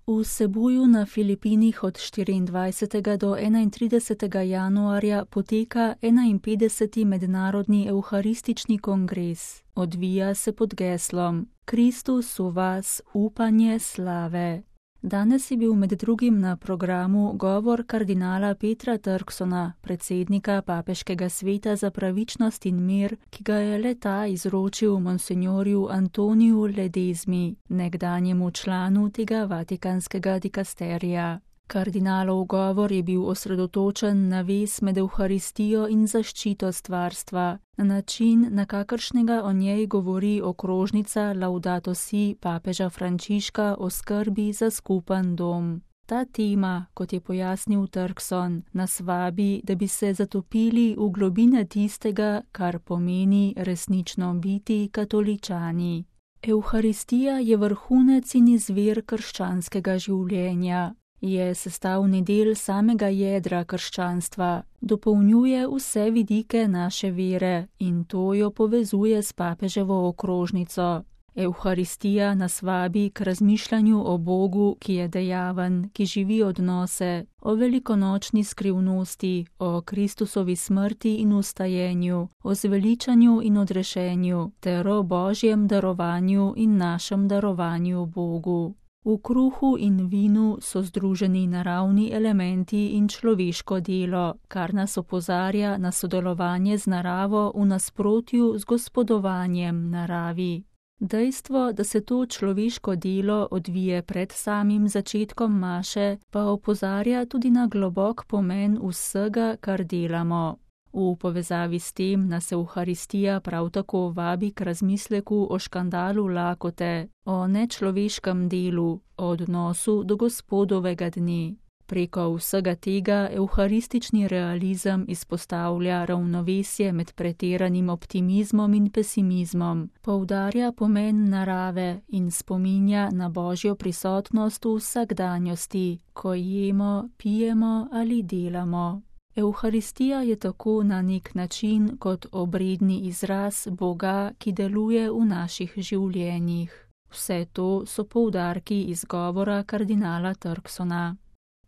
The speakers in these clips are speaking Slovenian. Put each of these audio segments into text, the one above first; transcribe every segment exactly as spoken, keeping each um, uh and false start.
V Cebuju na Filipinih od štiriindvajsetega do enaintridesetega januarja poteka enainpetdeseti mednarodni evharistični kongres. Odvija se pod geslom Kristus v vas, upanje slave. Danes je bil med drugim na programu govor kardinala Petra Turksona, predsednika Papeškega sveta za pravičnost in mir, ki ga je le-ta izročil monsinjorju Antoniju Ledezmi, nekdanjemu članu tega vatikanskega dikasterija. Kardinalov govor je bil osredotočen na vez med evharistijo in zaščito stvarstva, na način, na kakršnega o njej govori okrožnica Laudato si papeža Frančiška o skrbi za skupen dom. Ta tema, kot je pojasnil Turkson, nas vabi, da bi se zatopili v globine tistega, kar pomeni resnično biti katoličani. Evharistija je vrhunec in izvir krščanskega življenja. Je sestavni del samega jedra krščanstva, dopolnjuje vse vidike naše vere in to jo povezuje s papeževo okrožnico. Evharistija nas vabi k razmišljanju o Bogu, ki je dejaven, ki živi odnose, o velikonočni skrivnosti, o Kristusovi smrti in ustajenju, o zveličanju in odrešenju, ter o Božjem darovanju in našem darovanju Bogu. V kruhu in vinu so združeni naravni elementi in človeško delo, kar nas opozarja na sodelovanje z naravo v nasprotju z gospodovanjem naravi. Dejstvo, da se to človeško delo odvije pred samim začetkom maše, pa opozarja tudi na globok pomen vsega, kar delamo. V povezavi s tem nas Evharistija prav tako vabi k razmisleku o škandalu lakote, o nečloveškem delu, o odnosu do Gospodovega dne. Preko vsega tega evharistični realizem izpostavlja ravnovesje med pretiranim optimizmom in pesimizmom, poudarja pomen narave in spominja na Božjo prisotnost v vsakdanjosti, ko jemo, pijemo ali delamo. Evharistija je tako na nek način kot obredni izraz Boga, ki deluje v naših življenjih. Vse to so poudarki iz govora kardinala Turksona.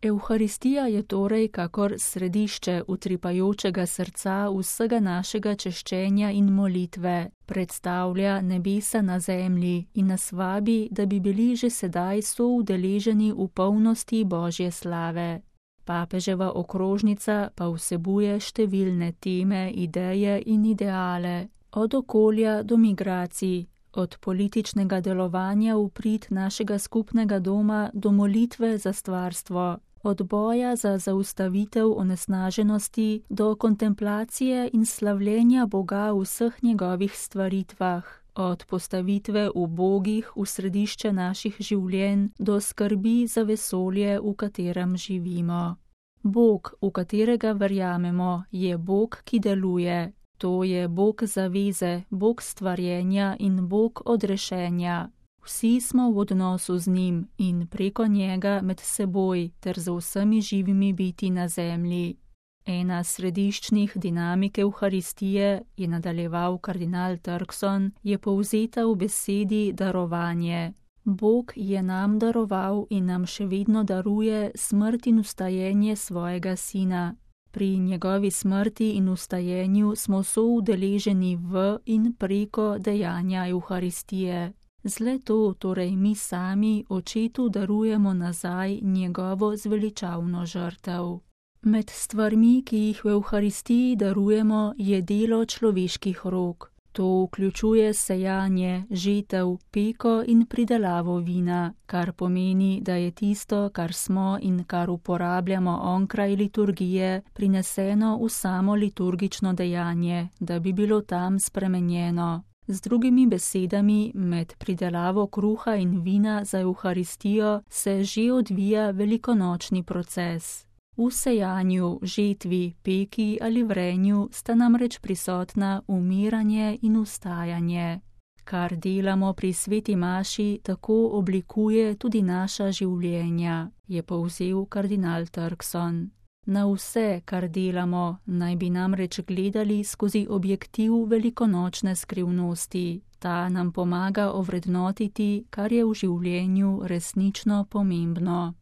Evharistija je torej kakor središče utripajočega srca vsega našega češčenja in molitve, predstavlja nebesa na zemlji in nas vabi, da bi bili že sedaj soudeleženi v polnosti Božje slave. Papeževa okrožnica pa vsebuje številne teme, ideje in ideale, od okolja do migracij, od političnega delovanja v prid našega skupnega doma do molitve za stvarstvo, od boja za zaustavitev onesnaženosti do kontemplacije in slavljenja Boga v vseh njegovih stvaritvah, od postavitve ubogih v središče naših življenj do skrbi za vesolje, v katerem živimo. Bog, v katerega verjamemo, je Bog, ki deluje. To je Bog zaveze, Bog stvarjenja in Bog odrešenja. Vsi smo v odnosu z njim in preko njega med seboj ter z vsemi živimi biti na zemlji. Ena središčnih dinamik Evharistije, je nadaljeval kardinal Turkson, je povzeta v besedi darovanje. Bog je nam daroval in nam še vedno daruje smrt in ustajenje svojega sina. Pri njegovi smrti in ustajenju smo soudeleženi v in preko dejanja Evharistije. Zle to torej mi sami očetu darujemo nazaj njegovo zveličavno žrtev. Med stvarmi, ki jih v Evharistiji darujemo, je delo človeških rok. To vključuje sejanje, žetev, peko in pridelavo vina, kar pomeni, da je tisto, kar smo in kar uporabljamo onkraj liturgije, prineseno v samo liturgično dejanje, da bi bilo tam spremenjeno. Z drugimi besedami, med pridelavo kruha in vina za Evharistijo se že odvija velikonočni proces. V sejanju, žetvi, peki ali vrenju sta namreč prisotna umiranje in ustajanje. Kar delamo pri sveti maši, tako oblikuje tudi naša življenja, je povzel kardinal Turkson. Na vse, kar delamo, naj bi namreč gledali skozi objektiv velikonočne skrivnosti. Ta nam pomaga ovrednotiti, kar je v življenju resnično pomembno.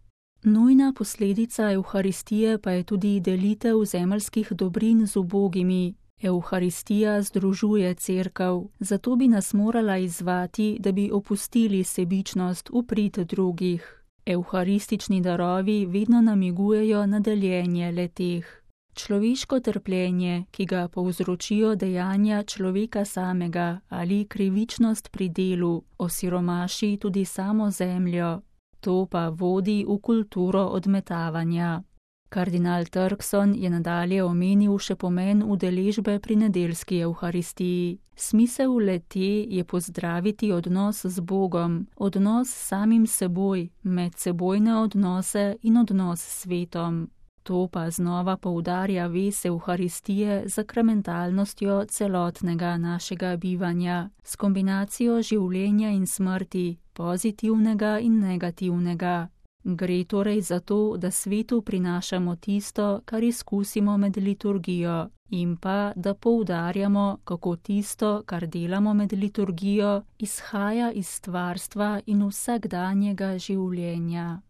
Nujna posledica Evharistije pa je tudi delitev zemeljskih dobrin z ubogimi. Evharistija združuje Cerkev, zato bi nas morala izzvati, da bi opustili sebičnost v prid drugih. Evharistični darovi vedno namigujejo na deljenje le-teh. Človeško trpljenje, ki ga povzročijo dejanja človeka samega ali krivičnost pri delu, osiromaši tudi samo zemljo. To pa vodi v kulturo odmetavanja. Kardinal Turkson je nadalje omenil še pomen udeležbe pri nedeljski Evharistiji. Smisel le-te je pozdraviti odnos z Bogom, odnos s samim seboj, medsebojne odnose in odnos s svetom. To pa znova poudarja vez Evharistije z sakramentalnostjo celotnega našega bivanja, s kombinacijo življenja in smrti, pozitivnega in negativnega. Gre torej za to, da svetu prinašamo tisto, kar izkusimo med liturgijo, in pa, da poudarjamo, kako tisto, kar delamo med liturgijo, izhaja iz stvarstva in vsakdanjega življenja.